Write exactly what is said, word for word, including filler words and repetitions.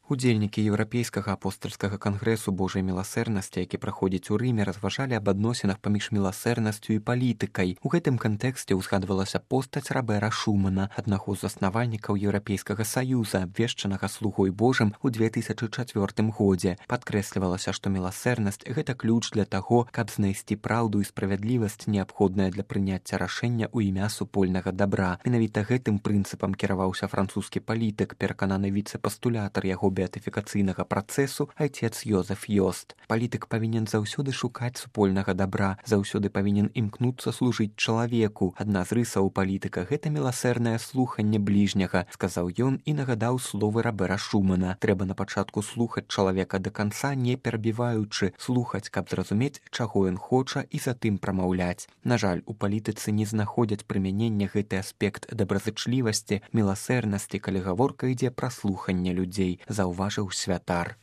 Удзельнікі еўрапейскага апостальскага кангрэсу Божай міласэрнасці, які праходзіць у Рыме, разважалі аб адносінах паміж міласэрнасцю і палітыкай. У гэтым кантэксце ўзгадвалася постаць Рабера Шумана, аднаго з заснавальнікаў Еўрапейскага саюза, абвешчанага слугой Божым у две тысячы чацвёртым годзе. Падкрэслівалася, што міласэрнасць – гэта ключ для таго, каб знайсці праўду і справядлівасць, неабходная для прыняцця рашэння ў імя супольнага дабра. Менавіта гэтым прынцыпам кіраваўся французскі палітык, перакананы віцэ-пастулятар яго беатыфікацыйнага працэсу айцец Йозеф Йост. Палітык павінен заўсёды шукаць супольнага дабра, заўсёды павінен імкнуцца служыць чалавеку. Адна з рысаў палітыка – гэта міласэрнае слуханне бліжняга, сказаў ён і нагадаў словы Рабера Шумана. Трэба на пачатку слухаць чалавека да канца, не перабіваючы, слухаць, каб зразумець, чаго ён хоча, і затым прамаўляць. На жаль, у палітыцы не знаходзяць прымянення гэты аспект добразычлівасці, міласэрнасці, калі гаворка ідзе пра слуханне людзей, заўважыў святар.